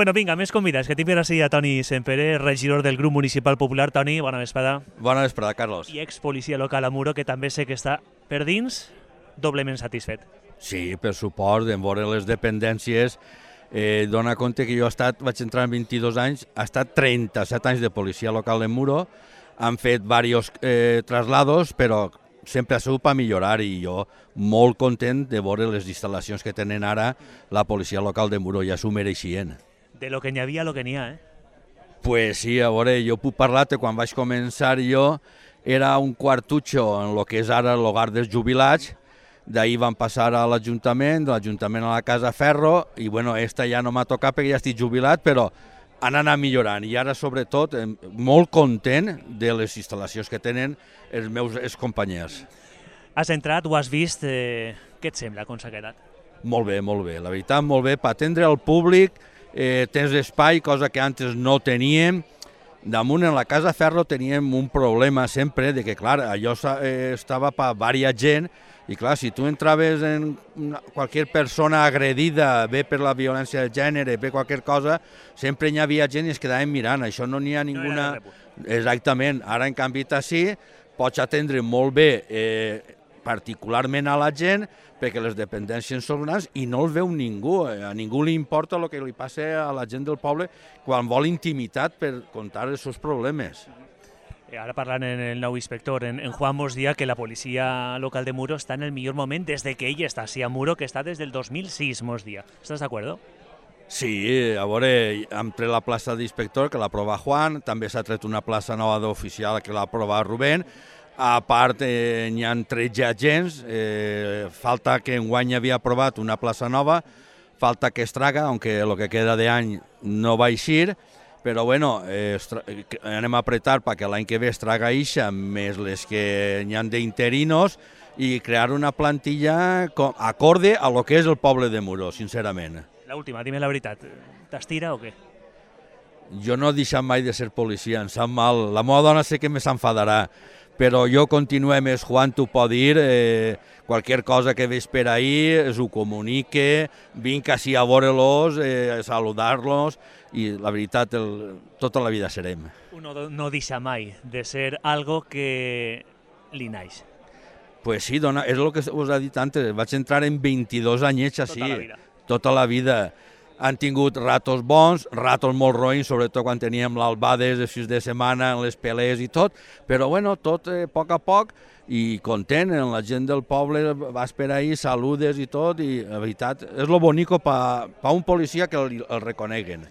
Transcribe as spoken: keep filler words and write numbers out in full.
Bueno, vinga, més convidats, que tinc per així a Toni Sempere, regidor del grup municipal popular. Toni, bona vesprada. Bona vesprada, Carlos. I ex-policia local a Muro, que també sé que està per dins, doblement satisfet. Sí, per suport, en veure les dependències, eh, dona compte que jo he estat, vaig entrar en vint-i-dos anys, he estat trenta-set anys de policia local en Muro, han fet diversos eh, traslados, però sempre ha sigut per millorar i jo molt content de veure les instal·lacions que tenen ara la policia local de Muro, ja s'ho mereixien. De lo que n'hi havia a lo que n'hi ha, eh? Pues sí, a veure, jo puc parlar que quan vaig començar jo era un quartutxo en el que és ara l'hogar dels jubilats, d'ahir van passar a l'Ajuntament, de l'Ajuntament a la Casa Ferro, i bueno, esta ja no m'ha tocat perquè ja estic jubilat, però han anat millorant i ara sobretot molt content de les instal·lacions que tenen els meus excompanys. Has entrat, ho has vist, eh, què et sembla, com s'ha quedat? Molt bé, molt bé, la veritat, molt bé, per atendre el públic, eh, tens espai, cosa que antes no teníem. Damunt en la Casa Ferro teníem un problema sempre de que, clar, allò eh, estava per diversa gent i, clar, si tu entraves en qualsevol persona agredida, bé per la violència de gènere, bé qualsevol cosa, sempre hi havia gent i es quedaven mirant. Això no n'hi ha ninguna... Exactament. Ara, en canvi, així, pots atendre molt bé, eh, particularment a la gent, perquè les dependències són grans i no els veu ningú. A ningú li importa el que li passa a la gent del poble quan vol intimitat per contar els seus problemes. Ara parlant en el nou inspector, en, en Juan mos dia que la policia local de Muro està en el millor moment des de que ell està així a Muro, que està des del dos mil sis, mos dia. Estàs d'acord? Sí, a veure, hem tret la plaça d'inspector, que l'ha aprovat Juan, també s'ha tret una plaça nova d'oficial que l'ha aprovat Rubén. A part, eh, n'hi ha tretze agents, eh, falta que enguany havia aprovat una plaça nova, falta que es traga, aunque el que queda d'any no va eixir, però bueno, eh, anem a apretar perquè l'any que ve es traga ixa, més les que n'hi ha d'interinos, i crear una plantilla acorde a lo que és el poble de Muro, sincerament. L'última, dime la veritat, t'estira o què? Jo no he deixat mai de ser policia, em sap mal. La meva dona sé que me s'enfadarà, però jo continuem, és Juan t'ho pot dir, eh, qualsevol cosa que veig per ahir, es ho comunique, vinc així a veure-los, eh, a saludar-los, i la veritat, el, tota la vida serem. Uno no deixa mai de ser algo que li naix. Pues sí, dona, és el que us he dit antes, vaig entrar en vint-i-dos anyets així. Tota la vida. Tota la vida. Han tingut ratos bons, ratos molt roïns, sobretot quan teníem l'albades de fins de setmana, les pelees i tot, però bueno, tot eh, a poc a poc, i content, la gent del poble vas per ahí, saludes i tot, i la veritat, és lo bonico per un policia que el, el reconeguen.